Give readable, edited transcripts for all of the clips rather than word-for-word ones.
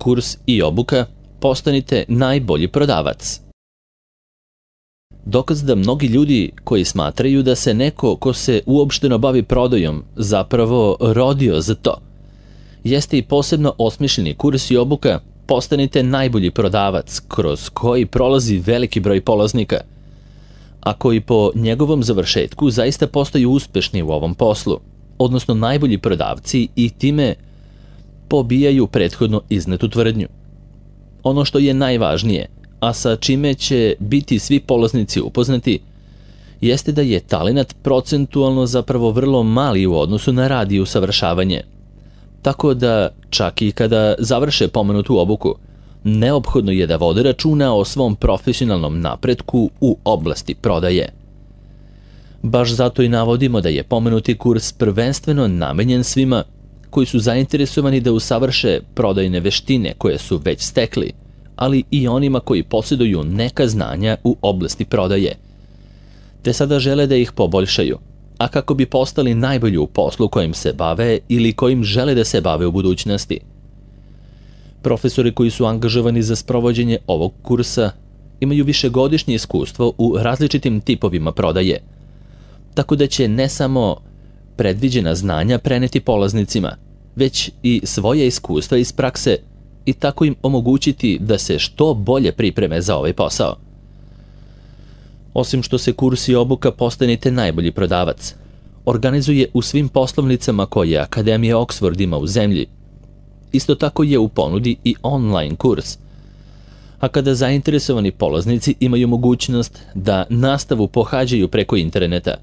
kurs i obuka Postanite najbolji prodavac. Dokaz da mnogi ljudi koji smatraju da se neko ko se uopšteno bavi prodajom zapravo rodio za to, jeste i posebno osmišljeni kurs i obuka Postanite najbolji prodavac, kroz koji prolazi veliki broj polaznika, a koji po njegovom završetku zaista postaju uspešni u ovom poslu, odnosno najbolji prodavci, i time pobijaju prethodno iznetu tvrdnju. Ono što je najvažnije, a sa čime će biti svi polaznici upoznati, jeste da je talenat procentualno zapravo vrlo mali u odnosu na rad i usavršavanje. Tako da, čak i kada završe pomenutu obuku, neophodno je da vode računa o svom profesionalnom napretku u oblasti prodaje. Baš zato i navodimo da je pomenuti kurs prvenstveno namenjen svima koji su zainteresovani da usavrše prodajne veštine koje su već stekli, ali i onima koji posjeduju neka znanja u oblasti prodaje, te sada žele da ih poboljšaju, a kako bi postali najbolji u poslu kojim se bave ili kojim žele da se bave u budućnosti. Profesori koji su angažovani za sprovođenje ovog kursa imaju višegodišnje iskustvo u različitim tipovima prodaje, tako da će ne samo predviđena znanja preneti polaznicima, već i svoje iskustva iz prakse i tako im omogućiti da se što bolje pripreme za ovaj posao. Osim što se kurs i obuka Postanite najbolji prodavac organizuje u svim poslovnicama koje Akademija Oxford ima u zemlji, isto tako je u ponudi i online kurs, a kada zainteresovani polaznici imaju mogućnost da nastavu pohađaju preko interneta,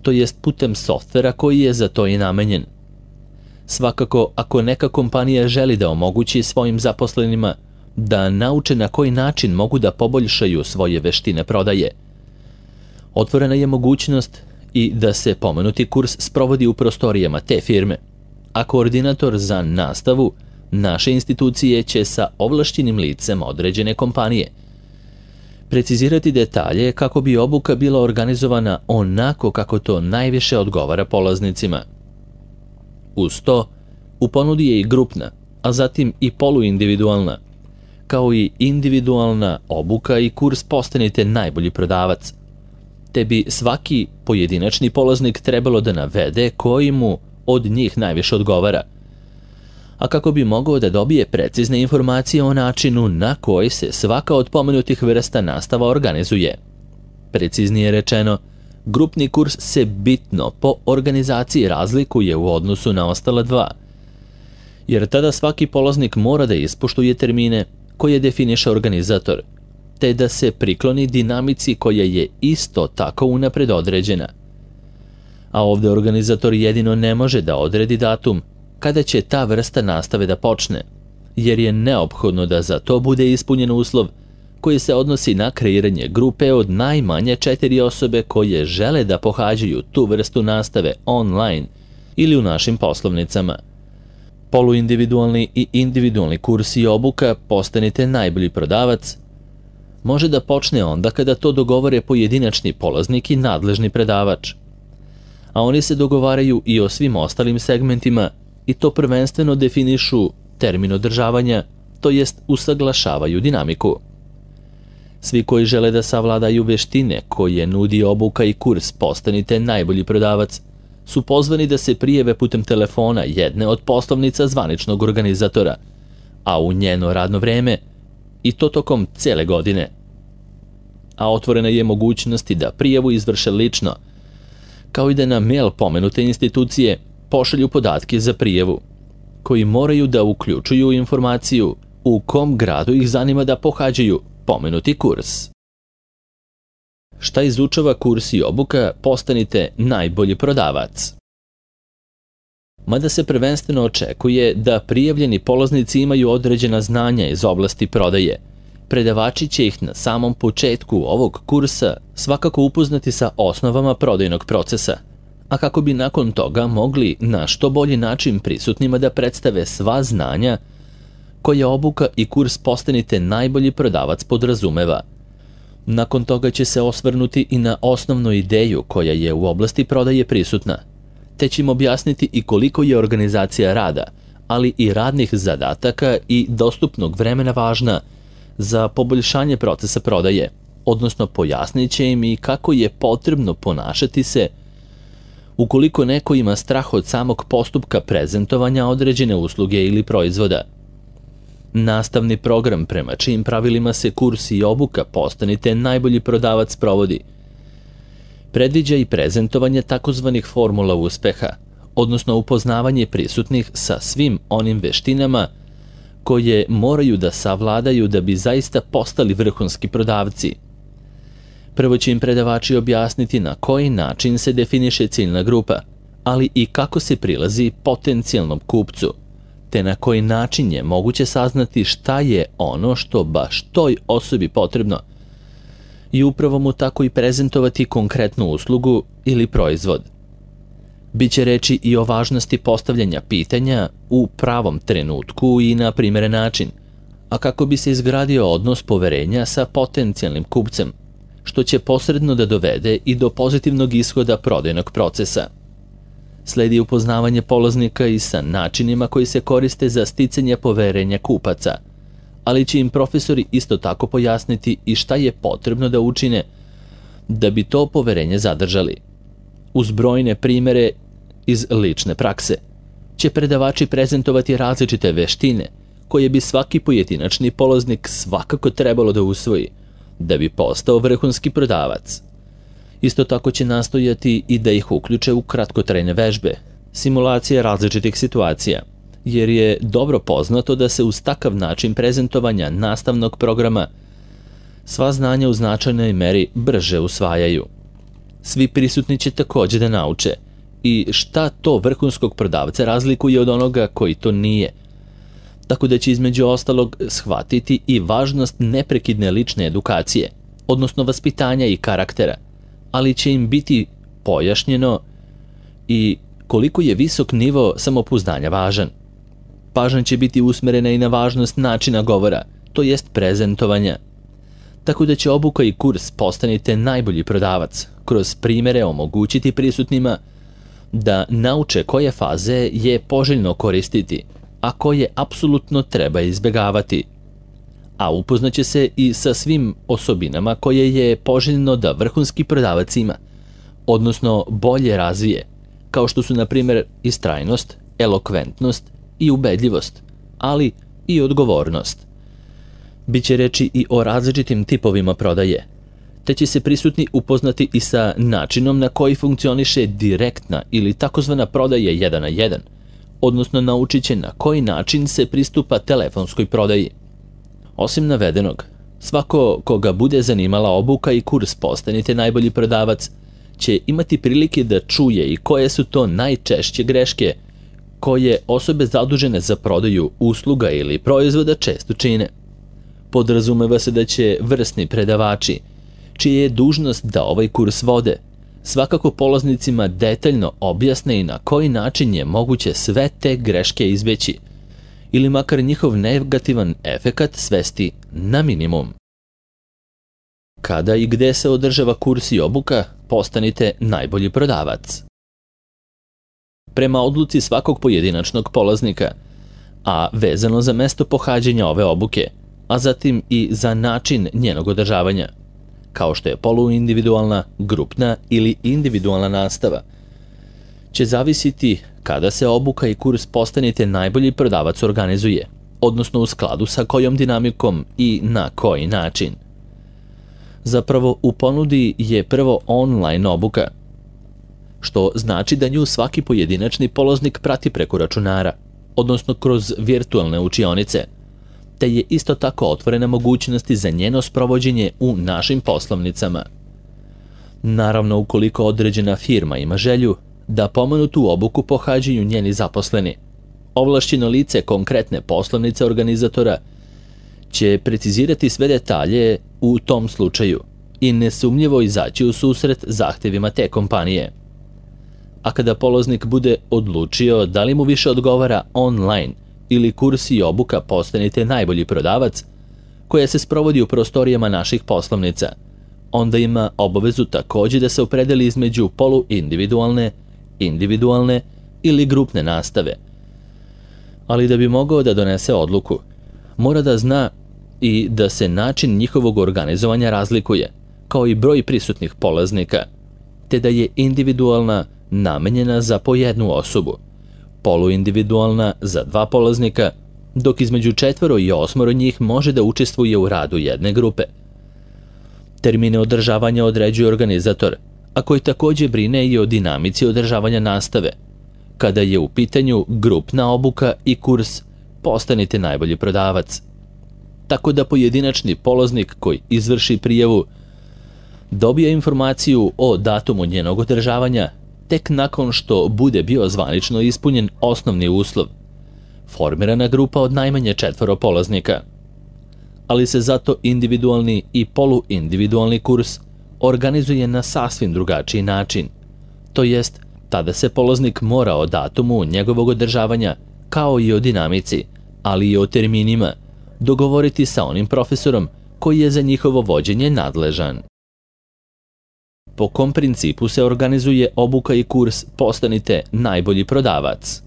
to jest putem softvera koji je za to i namenjen. Svakako, ako neka kompanija želi da omogući svojim zaposlenima da nauče na koji način mogu da poboljšaju svoje veštine prodaje, otvorena je mogućnost i da se pomenuti kurs sprovodi u prostorijama te firme, a koordinator za nastavu naše institucije će sa ovlašćenim licem određene kompanije precizirati detalje kako bi obuka bila organizovana onako kako to najviše odgovara polaznicima. Uz to, u ponudi je i grupna, a zatim i poluindividualna, kao i individualna obuka i kurs Postanite najbolji prodavac, te bi svaki pojedinačni polaznik trebalo da navede koji mu od njih najviše odgovara, a kako bi mogao da dobije precizne informacije o načinu na koji se svaka od pomenutih vrsta nastava organizuje. Preciznije rečeno, grupni kurs se bitno po organizaciji razlikuje u odnosu na ostala dva, jer tada svaki polaznik mora da ispoštuje termine koje definiše organizator, te da se prikloni dinamici koja je isto tako unapred određena. A ovde organizator jedino ne može da odredi datum kada će ta vrsta nastave da počne, jer je neophodno da za to bude ispunjen uslov koji se odnosi na kreiranje grupe od najmanje 4 osobe koje žele da pohađaju tu vrstu nastave online ili u našim poslovnicama. Poluindividualni i individualni kurs i obuka Postanite najbolji prodavac može da počne onda kada to dogovore pojedinačni polaznik i nadležni predavač, a oni se dogovaraju i o svim ostalim segmentima i to prvenstveno definišu termin održavanja, to jest usaglašavaju dinamiku. Svi koji žele da savladaju veštine koje nudi obuka i kurs Postanite najbolji prodavac su pozvani da se prijave putem telefona jedne od poslovnica zvaničnog organizatora, a u njeno radno vreme, i to tokom cele godine. A otvorena je mogućnost da prijavu izvrše lično, kao i da na mail pomenute institucije pošalju podatke za prijavu, koji moraju da uključuju informaciju u kom gradu ih zanima da pohađaju pomenuti kurs. Šta izučava kurs i obuka Postanite najbolji prodavac? Mada se prvenstveno očekuje da prijavljeni polaznici imaju određena znanja iz oblasti prodaje, predavači će ih na samom početku ovog kursa svakako upoznati sa osnovama prodajnog procesa, a kako bi nakon toga mogli na što bolji način prisutnima da predstave sva znanja koje obuka i kurs Postanite najbolji prodavac podrazumeva. Nakon toga će se osvrnuti i na osnovnu ideju koja je u oblasti prodaje prisutna, te će im objasniti i koliko je organizacija rada, ali i radnih zadataka i dostupnog vremena važna za poboljšanje procesa prodaje, odnosno pojasnit će im i kako je potrebno ponašati se ukoliko neko ima strah od samog postupka prezentovanja određene usluge ili proizvoda. Nastavni program prema čijim pravilima se kurs i obuka Postanite najbolji prodavac provodi predviđa i prezentovanje takozvanih formula uspeha, odnosno upoznavanje prisutnih sa svim onim veštinama koje moraju da savladaju da bi zaista postali vrhunski prodavci. Prvo će im predavači objasniti na koji način se definiše ciljna grupa, ali i kako se prilazi potencijalnom kupcu, te na koji način je moguće saznati šta je ono što baš toj osobi potrebno i upravo mu tako i prezentovati konkretnu uslugu ili proizvod. Biće reči i o važnosti postavljanja pitanja u pravom trenutku i na primjeren način, a kako bi se izgradio odnos poverenja sa potencijalnim kupcem, što će posredno da dovede i do pozitivnog ishoda prodajnog procesa. Sledi upoznavanje polaznika i sa načinima koji se koriste za sticanje poverenja kupaca, ali će im profesori isto tako pojasniti i šta je potrebno da učine da bi to poverenje zadržali. Uz brojne primere iz lične prakse će predavači prezentovati različite veštine koje bi svaki pojedinačni polaznik svakako trebalo da usvoji da bi postao vrhunski prodavac. Isto tako će nastojati i da ih uključe u kratkotrajne vežbe, simulacije različitih situacija, jer je dobro poznato da se uz takav način prezentovanja nastavnog programa sva znanja u značajnoj meri brže usvajaju. Svi prisutni će također da nauče i šta to vrhunskog prodavca razlikuje od onoga koji to nije, tako da će između ostalog shvatiti i važnost neprekidne lične edukacije, odnosno vaspitanja i karaktera, ali će im biti pojašnjeno i koliko je visok nivo samopouzdanja važan. Pažnja će biti usmerena i na važnost načina govora, to jest prezentovanja. Tako da će obuka i kurs Postanite najbolji prodavac kroz primjere omogućiti prisutnima da nauče koje faze je poželjno koristiti, a koje apsolutno treba izbjegavati. A upoznaće se i sa svim osobinama koje je poželjno da vrhunski prodavac ima, odnosno bolje razvije, kao što su na primjer istrajnost, elokventnost i ubedljivost, ali i odgovornost. Biće reči i o različitim tipovima prodaje, te će se prisutni upoznati i sa načinom na koji funkcioniše direktna ili takozvana prodaja 1 na 1, odnosno naučit će na koji način se pristupa telefonskoj prodaji. Osim navedenog, svako koga bude zanimala obuka i kurs Postanite najbolji prodavac će imati prilike da čuje i koje su to najčešće greške koje osobe zadužene za prodaju usluga ili proizvoda često čine. Podrazumeva se da će vrsni predavači, čija je dužnost da ovaj kurs vode, svakako polaznicima detaljno objasne i na koji način je moguće sve te greške izbeći, ili makar njihov negativan efekat svesti na minimum. Kada i gde se održava kurs i obuka Postanite najbolji prodavac? Prema odluci svakog pojedinačnog polaznika, a vezano za mesto pohađanja ove obuke, a zatim i za način njenog održavanja, kao što je poluindividualna, grupna ili individualna nastava, će zavisiti kada se obuka i kurs Postanite najbolji prodavac organizuje, odnosno u skladu sa kojom dinamikom i na koji način. Zapravo u ponudi je prvo online obuka, što znači da nju svaki pojedinačni polaznik prati preko računara, odnosno kroz virtualne učionice, te je isto tako otvorena mogućnosti za njeno sprovođenje u našim poslovnicama. Naravno, ukoliko određena firma ima želju da pomenutu obuku pohađaju njeni zaposleni, ovlašćeno lice konkretne poslovnice organizatora će precizirati sve detalje u tom slučaju i nesumnjivo izaći u susret zahtjevima te kompanije. A kada polaznik bude odlučio da li mu više odgovara online ili kurs i obuka Postanite najbolji prodavac, koja se sprovodi u prostorijama naših poslovnica, onda ima obavezu također da se opredeli između poluindividualne, individualne ili grupne nastave. ali da bi mogao da donese odluku, mora da zna i da se način njihovog organizovanja razlikuje, kao i broj prisutnih polaznika, te da je individualna namenjena za po jednu osobu, poluindividualna za 2 polaznika, dok između 4 i 8 njih može da učestvuje u radu jedne grupe. Termine održavanja određuje organizator, a koji takođe brine i o dinamici održavanja nastave. Kada je u pitanju grupna obuka i kurs Postanite najbolji prodavac. Tako da pojedinačni polaznik koji izvrši prijavu dobija informaciju o datumu njenog održavanja tek nakon što bude bio zvanično ispunjen osnovni uslov, formirana grupa od najmanje 4 polaznika. Ali se zato individualni i poluindividualni kurs organizuje na sasvim drugačiji način. To jest, tada se polaznik mora o datumu njegovog održavanja, kao i o dinamici, ali i o terminima, dogovoriti sa onim profesorom koji je za njihovo vođenje nadležan. Po kom principu se organizuje obuka i kurs Postanite najbolji prodavac?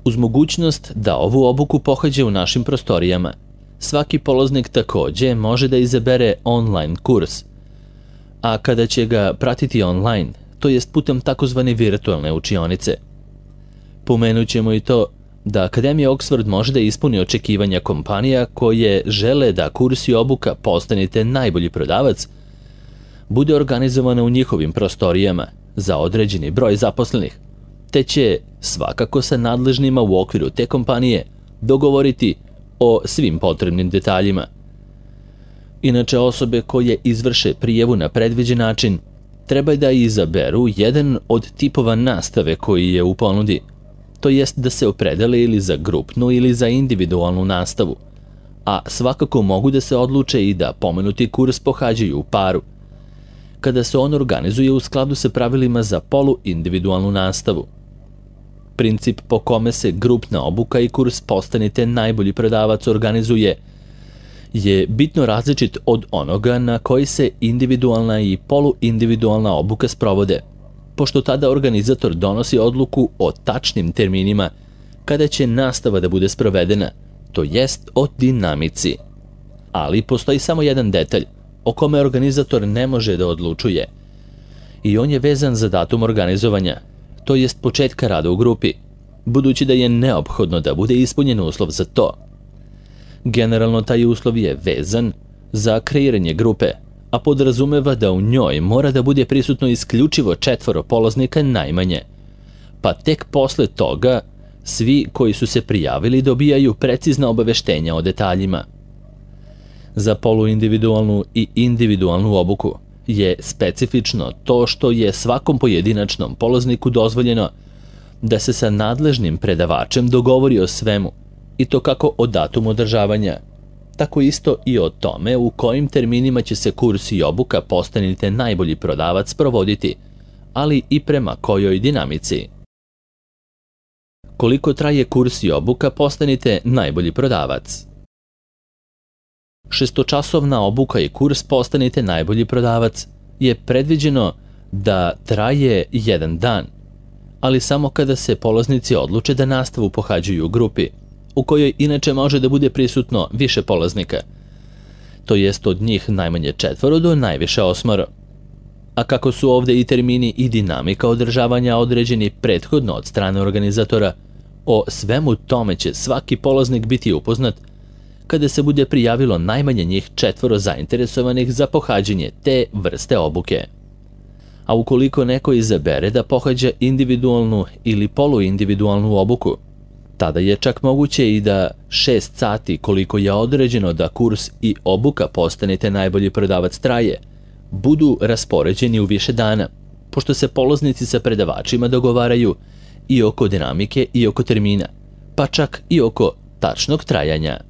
Uz mogućnost da ovu obuku pohađa u našim prostorijama, svaki polaznik takođe može da izabere online kurs, a kada će ga pratiti online, to jest putem takozvane virtualne učionice. Pomenut ćemo i to da Akademija Oxford može da ispuni očekivanja kompanija koje žele da kurs i obuka Postanite najbolji prodavac bude organizovana u njihovim prostorijama za određeni broj zaposlenih, te će svakako sa nadležnima u okviru te kompanije dogovoriti o svim potrebnim detaljima. Inače, osobe koje izvrše prijavu na predviđen način treba da izaberu jedan od tipova nastave koji je u ponudi, to jest da se opredele ili za grupnu ili za individualnu nastavu, a svakako mogu da se odluče i da pomenuti kurs pohađaju u paru, kada se on organizuje u skladu sa pravilima za poluindividualnu nastavu. Princip po kome se grupna obuka i kurs Postanite najbolji prodavac organizuje je bitno različit od onoga na koji se individualna i poluindividualna obuka sprovode, pošto tada organizator donosi odluku o tačnim terminima kada će nastava da bude sprovedena, to jest o dinamici. Ali postoji samo jedan detalj o kome organizator ne može da odlučuje i on je vezan za datum organizovanja, to jest početka rada u grupi, budući da je neophodno da bude ispunjen uslov za to. Generalno taj uslov je vezan za kreiranje grupe, a podrazumeva da u njoj mora da bude prisutno isključivo 4 polaznika najmanje, pa tek posle toga svi koji su se prijavili dobijaju precizna obaveštenja o detaljima. Za poluindividualnu i individualnu obuku je specifično to što je svakom pojedinačnom polazniku dozvoljeno da se sa nadležnim predavačem dogovori o svemu, i to kako o datumu održavanja, tako isto i o tome u kojim terminima će se kurs i obuka Postanite najbolji prodavac provoditi, ali i prema kojoj dinamici. Koliko traje kurs i obuka Postanite najbolji prodavac? 6-časovna obuka i kurs Postanite najbolji prodavac je predviđeno da traje 1 dan, ali samo kada se polaznici odluče da nastavu pohađaju u grupi, u kojoj inače može da bude prisutno više polaznika, to jest od njih najmanje 4 do najviše 8. A kako su ovde i termini i dinamika održavanja određeni prethodno od strane organizatora, o svemu tome će svaki polaznik biti upoznat kada se bude prijavilo najmanje njih 4 zainteresovanih za pohađanje te vrste obuke. A ukoliko neko izabere da pohađa individualnu ili poluindividualnu obuku, tada je čak moguće i da 6 sati koliko je određeno da kurs i obuka Postanite najbolji prodavac traje, budu raspoređeni u više dana, pošto se polaznici sa predavačima dogovaraju i oko dinamike i oko termina, pa čak i oko tačnog trajanja.